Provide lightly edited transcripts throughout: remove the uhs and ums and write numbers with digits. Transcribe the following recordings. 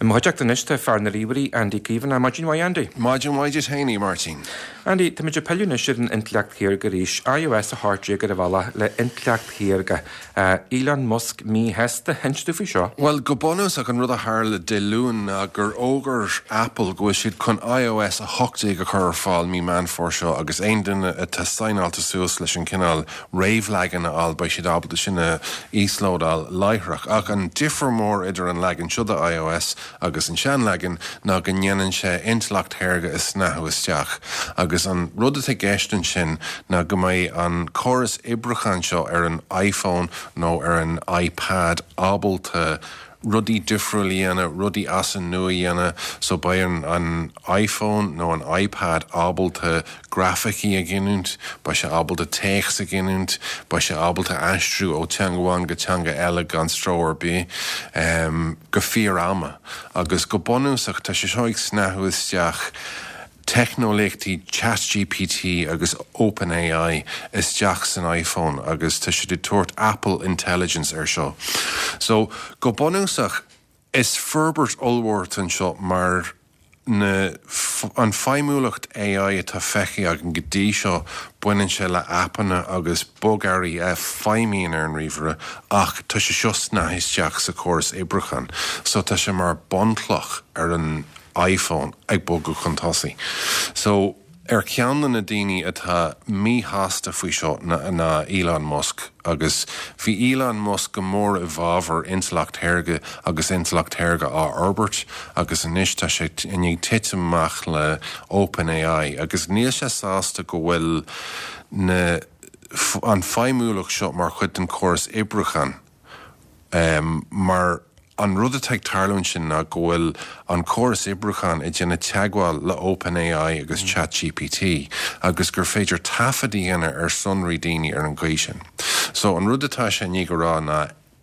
I mo chuideachta anois tá fear na ríomhairí, Andy Caomhánach. Maidin mhaith, Andy. Maidin mhaith duit féin, a Mháirtín. Andy, táimid ag pilleadh anois ar an intleacht shaorga arís. iOS 18 ar an bhealach le intleacht shaorga. Elon Musk míshásta. Inis domh faoi seo. Bhuel, go bunúsach, an rud a tharla Dé Luain ná gur fhógair Apple go bhfuil siad chun iOS 18 a chur ar fáil mí Meán Fómhair seo agus aon duine atá saighneáilte suas leis an cineál réamhleagan a fháil, beidh siad ábalta sin a íoslódáil láithreach. Ach an difear mór idir an leagan seo de iOS agus an seanleagan ná go ndéanann sé intleacht shaorga a shnáthú isteach. Agus an rud atá i gceist ansin ná go mbeidh an córas oibriúcháin seo ar an iPhone nó ar an iPad ábalta rudaí difriúil a dhéanamh, rudaí as an nua a dhéanamh, so beidh an an iPhone nó an iPad ábalta grafaicí a ghiniúint, beidh sé ábalta téacs a ghiniúint, beidh sé ábalta aistriú ó teanga amháin go teanga eile gan stró ar bith, go fíor-ama. Agus go bunúsach tá sé seo ag snáthú isteach teicneolaíochtaí ChatGPT agus OpenAI isteach san iPhone agus tá siad ag tabhairt Apple Intelligence air seo. So, go bunúsach, is forbairt ollmhór atá anseo mar na, an feidhmiúlacht AI atá feicthe againn go dtí seo, baineann sé le aipeanna agus bogearraí a feidhmíonn ar an ríomhaire ach tá sé seo snáithe isteach sa chóras oibriúcháin. So, tá sé mar bunchloch ar an iPhone ag bogadh chun tosaigh. So, ar cheann de na daoine atá míshásta faoi seo ná Elon Musk agus bhí Elon Musk go mór i bhfabhar intleacht shaorga agus intleacht shaorga á fhorbairt agus anois tá sé i ndiaidh titim amach le OpenAI agus níl sé sásta go bhfuil na an feidhmiúlacht seo mar chuid den chóras oibriúcháin. Mar an rud atá ag tarlú ansin ná go bhfuil an córas oibriúcháin ag déanamh teagmháil le OpenAI agus ChatGPT agus gur féidir taifead a dhéanamh ar sonraí daoine ar an gcaoi sin. So an rud atá sé i ndiaidh a rá ná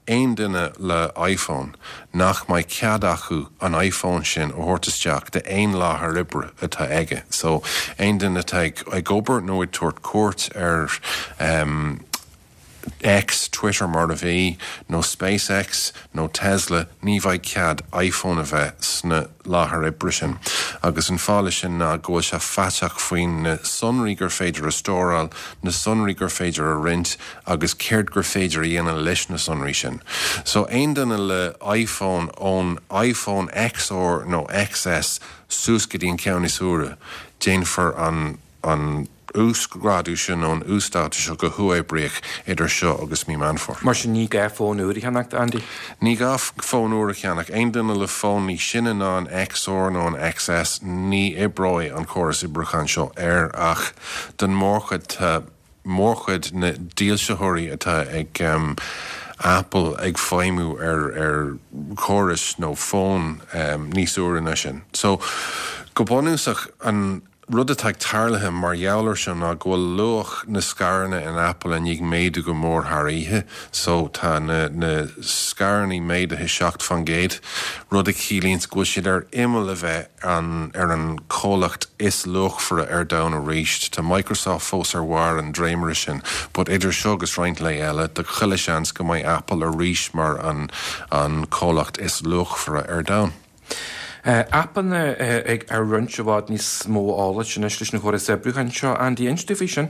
aon duine le iPhone nach mbeidh cead acu an iPhone sin a thabhairt isteach d'aon láthair oibre atá aige. So aon duine atá ag obair nó ag tabhairt cuairt ar X, Twitter mar a bhí, nó SpaceX, nó Tesla, ní bheidh cead iPhone a bheith sna láthair oibre sin. Agus an fáth leis sin ná go bhfuil sé faiteach faoin na sonraí gur féidir a stóráil, na sonraí gur féidir a roinnt agus céard gur féidir a dhéanamh leis na sonraí sin. So aon duine le iPhone ón iPhone XR nó XS suas go dtí an ceann is úire, déanfar an an uasghrádú seo nó an uasdátú seo go huathoibríoch idir seo agus mí Meán Fómhair. Mar sin ní gá fón úr a cheannacht, Andy? Ní gá fón úr a cheannach. Aon duine le fón níos sine ná an XR nó an XS, ní oibreoidh an córas oibriúcháin seo air ach don mórchuid tá mórchuid na dílseoirí atá ag Apple ag feidhmiú ar ar chórais nó fóin níos úire ná sin. So, go bunúsach, an rud atá ag tarlaithe mar gheall ar seo ná go bhfuil luach na scaireanna in Apple i ndiaidh méadú go mór thar oíche. So tá na na scaireanna méadaithe 7%, rud a chiallaíonns go bhfuil siad ar imeall a bheith an ar an comhlacht is luachmhaire ar domhan arís. Tá Microsoft fós ar bharr an dréimire sin, but idir seo agus roinnt lae eile, tá chuile seans go mbeidh Apple arís mar an an comhlacht is luachmhaire ar domhan. Aipeanna ag roinnt i bhfad níos mó eolais anois leis an chóras oibriúcháin seo. Andy, inis domh faoi sin.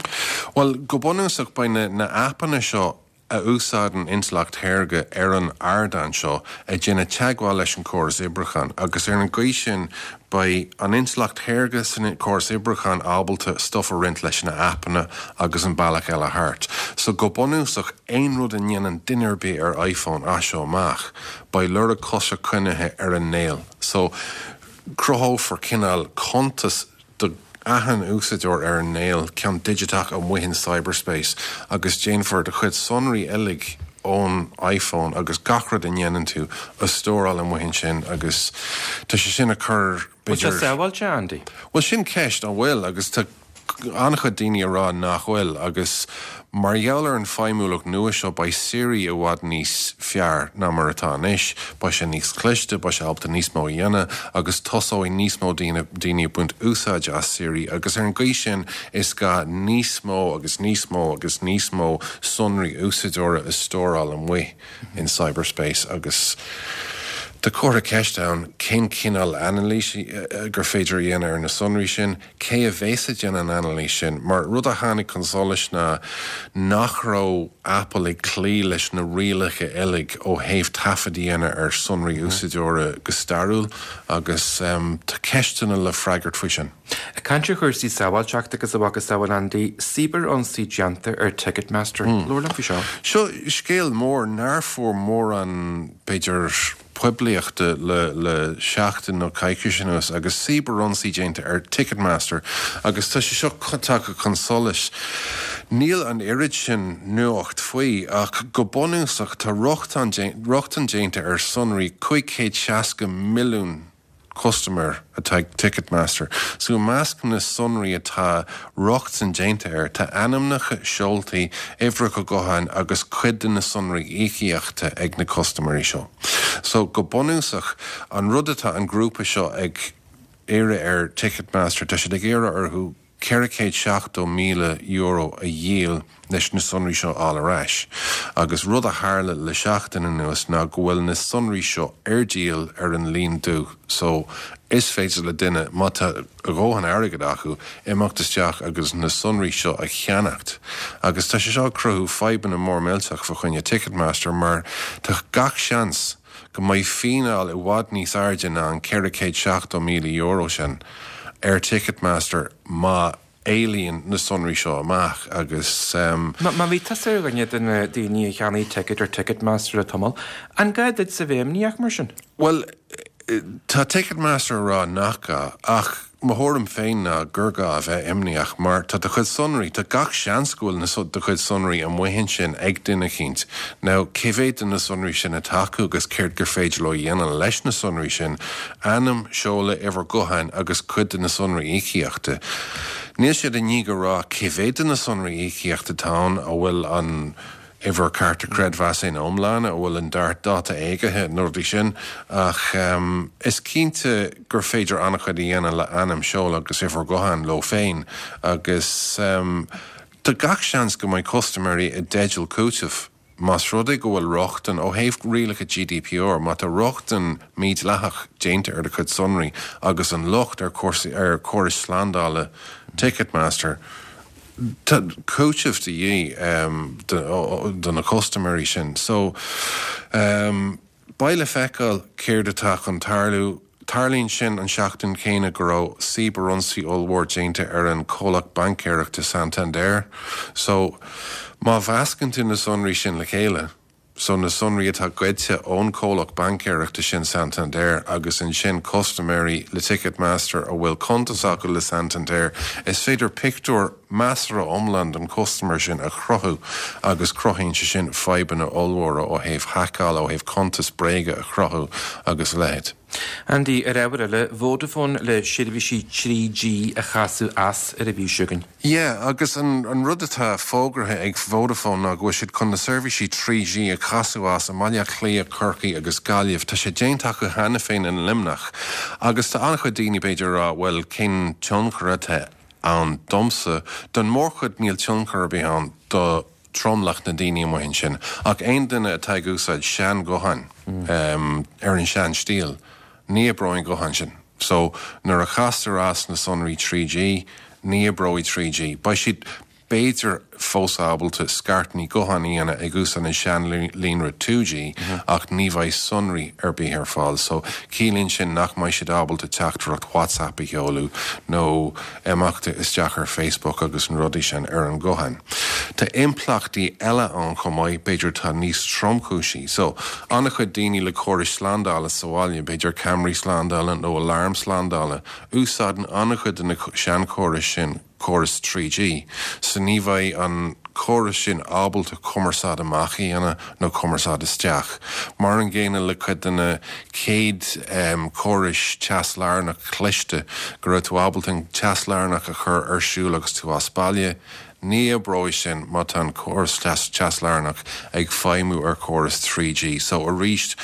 Bhuel, go bunúsach beidh na na aipeanna seo a úsáideann intleacht shaorga ar an ardán seo ag déanamh teagmháil leis an córas oibriúcháin agus ar an gcaoi sin beidh an intleacht shaorga san córas oibriúcháin ábalta stuff a roinnt leis na aipeanna agus an bealach eile thart. So go bunúsach aon rud a ndéanann duine ar bith ar iPhone as seo amach, Beidh lorg cosa coinnithe ar an néal so cruthófar cineál cuntas do achan úsáideoir ar an néal, ceann digiteach amuigh in cyberspace agus déanfar do chuid sonraí uilig ón iPhone agus gach rud a ndéanann tú a stóráil amuigh ansin agus tá sé sin ag cur Bhfuil sé sábháilte, Andy? Bhuel sin ceist, an bhfuil? Agus tá an-chuid daoine ag rá nach bhfuil agus mar gheall ar an feidhmiúlacht nua seo beidh Siri i bhfad níos fearr ná mar atá anois, beidh sé níos cliste, beidh sé ábalta níos mó a dhéanamh agus tosóidh níos mó daoine daoine ag baint úsáide as Siri agus ar an gcaoi sin is gá níos mó agus níos mó agus níos mó sonraí úsáideora a stóráil amuigh in cyberspace agus. Tá comhartha ceiste ann cén cineál anailís gur féidir a dhéanamh ar na sonraí sin, cé a bhéas ag déanamh an anailís sin, mar rud a tháinig chun solais ná nach raibh Apple ag cloí leis na rialacha uilig ó thaobh taifead a dhéanamh ar sonraí úsáideora go stairiúil agus tá ceisteanna le freagairt faoi sin. Ag caint ar chúrsaí sábháilteachta agus a mhacasamhail Andy, cibear-ionsaí déanta ar Ticketmaster. Labhair liom faoi seo. Seo scéal mór nár fuair mórán, b'fhéidir, poiblíochta le le seachtain nó coicís anuas agus cibear-ionsaí déanta ar Ticketmaster agus tá sé seo tagtha chun solais. Níl an oiread sin nuacht faoi ach go bunúsach tá rochtain rochtain déanta ar sonraí 560 milliún custaiméir atá ag Ticketmaster. So i measc na sonraí atá rochtain déanta air tá ainmneacha, seoltaí, uimhreacha gutháin agus cuid de na sonraí íocaíochta ag na custaiméirí seo. So go bunúsach an rud atá an grúpa seo ag iarraidh ar Ticketmaster, tá siad ag iarraidh orthu €470,000 a dhíol leis na sonraí seo a fháil ar ais. Agus rud a tharla le seachtain anuas ná go bhfuil na sonraí seo ar díol ar an líon dubh so is féidir le duine, má tá a dhóthain airgid acu, imeacht isteach agus na sonraí seo a cheannacht. Agus tá sé seo ag cruthú fadhbanna mór millteach fa choinne Ticketmaster mar tá gach seans go mbeidh fíneáil i bhfad níos airde ná an €470,000 sin ar Ticketmaster má éalaíonn na sonraí seo amach agus. Má bhí tusa ar dhuine de na daoine a cheannaigh ticéad ar Ticketmaster le tamall, an gá duitse bheith imníoch mar sin? Bhuel, tá Ticketmaster ag rá nach gá ach Mo thuairim féin ná gur gá a bheith imníoch mar tá do chuid sonraí, tá gach seans go bhfuil na do chuid sonraí amuigh ansin ag duine eicínt. Now, cé mhéad de na sonraí sin atá acu agus céard gur féidir leo a dhéanamh leis na sonraí sin, ainm, seoladh, uimhir gutháin agus cuid de na sonraí íocaíochta. Níl siad i ndiaidh a rá cé mhéad de na sonraí íocaíochta atá ann, an bhfuil an. uimhir cárta creidmheasa ina iomláine, an bhfuil an dáta éagaithe, na rudaí sin. Ach is cinnte gur féidir an-chuid a dhéanamh le ainm, seoladh agus uimhir ghutháin leo féin agus tá gach seans go mbeidh custaiméirí i dteideal cúitimh más rud é go bhfuil rochtain, ó thaobh rialacha GDPR, má tá rochtain mídhleathach déanta ar do chuid sonraí agus an locht ar ar chórais slándála Ticketmaster. Tá cúiteamh de dhíth do na custaiméirí sin. So, beidh le feiceáil céard atá chun tarlú. Tarlaíonn sin an seachtain chéanna go raibh cibear-ionsaí ollmhór déanta ar an chomhlacht baincéireachta Santander. So, má mheascann tú na sonraí sin le chéile, So na sonraí atá goidte ón comhlacht baincéireachta sin Santander agus ansin custaiméirí le Ticketmaster a bhfuil cuntas acu le Santander, is féidir pictiúr measartha iomlán den chustaiméir sin a chruthú agus cruthaíonn sé sin fadhbanna ollmhóra ó thaobh haiceála, ó thaobh cuntas bréige a chruthú agus a leithéid. Andy, ar ábhar eile, Vodafone le seirbhísí 3G a chasadh as ar an mhí seo chugainn. Yeah, agus an rud atá fógartha ag Vodafone ná go bhfuil siad chun na seirbhísí 3G a chasadh as i mBaile Átha Cliath, Corcaigh agus Gaillimh. Tá sé déanta acu cheana féin in Luimneach. Agus tá an-chuid daoine b'fhéidir ag rá, bhuel, cén tionchar atá ann domsa? Don mórchuid níl tionchar ar bith ann do tromlach na ndaoine amuigh ansin. Ach aon duine atá ag úsáid sean-ghutháin ar an sean-stíl, ní oibreoidh an guthán sin. So, nuair a chastar as na sonraí 3G, ní oibreoidh 3G. Beidh siad, b'fhéidir, fós ábalta scairteanna gutháin a dhéanamh ag úsáid an sean-líonra 2G, ach ní bheidh sonraí ar bith ar fáil. So, ciallaíonn sin nach mbeidh siad ábalta teachtaireacht WhatsApp a sheoladh nó imeacht isteach ar Facebook agus na rudaí sin ar an ghuthán. Tá impleachtaí eile ann chomh maith, b'fhéidir atá níos tromchúisí. So, an-chuid daoine le córais slándála sa bhaile, b'fhéidir ceamaraí slándála nó aláram slándála, úsáideann an-chuid de na seanchórais sin córas 3G. So ní bheidh an córas sin ábalta cumarsáid amach a dhéanamh nó cumarsáid isteach. Mar an gcéanna le cuid de na chéad córais teas lárnach cliste, go raibh tú ábalta an teas lárnach a chur ar siúl agus tú as baile, ní oibreoidh sin má tá an córas teas lárnach ag feidhmiú ar chóras 3G. So arís,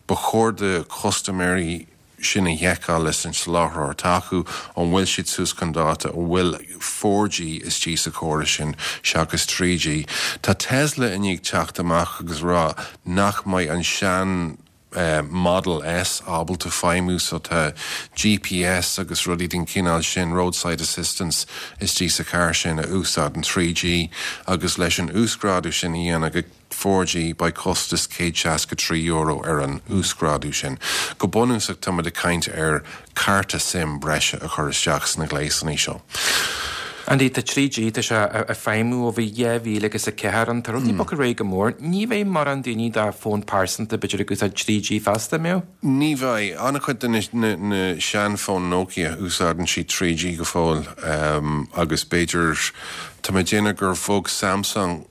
ba chóir do chustaiméirí sin a sheiceáil leis an soláthróir atá acu, an bhfuil siad suas chun dáta, an bhfuil 4G istigh sa chóras sin seachas 3G. Tá Tesla i ndiaidh teacht amach agus rá nach mbeidh an sean. Model S ábalta feidhmiú so tá GPS agus rudaí den chineál sin, roadside assistance, istigh sa charr sin a úsáideann 3G agus leis an uasghrádú sin a dhéanamh go 4G beidh costas €163 ar an uasghrádú sin. Go bunúsach táimid ag caint ar cárta sim breise a chur isteach sna gléasanna seo. Andy, tá 3G, tá sé ag feidhmiú ó bhí 2000 agus a 4 ann, tá rudaí bogtha ar aghaidh go mór. Ní bheidh mórán daoine de fón pearsanta b'fhéidir ag úsáid 3G feasta, an mbeadh? Ní bheidh. An-chuid de na seanfhóin Nokia, úsáideann siad 3G go fóill agus b'fhéidir, tá mé ag déanamh gur bhog Samsung,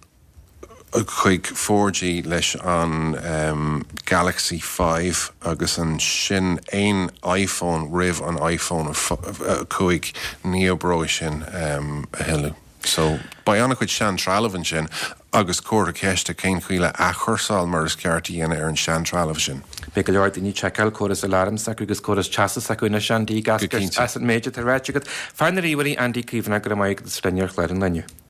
chuig 4G leis an Galaxy 5 agus ansin aon iPhone roimh an iPhone 5 ní oibreoidh sin a thuilleadh. So beidh an-chuid sean-trealamh ansin agus comhartha ceiste cén chaoi le athchúrsáil mar is ceart a dhéanamh ar an sean-trealamh sin. Beidh go leor daoine ag seiceáil córas aláraim s'acu agus córas teasa s'acu anois Andy, ag eascairt as an méid atá ráite agat. Fear na ríomhairí Andy Caomhánach, go raibh maith agat as a bheith linn ar chlár an lae inniu.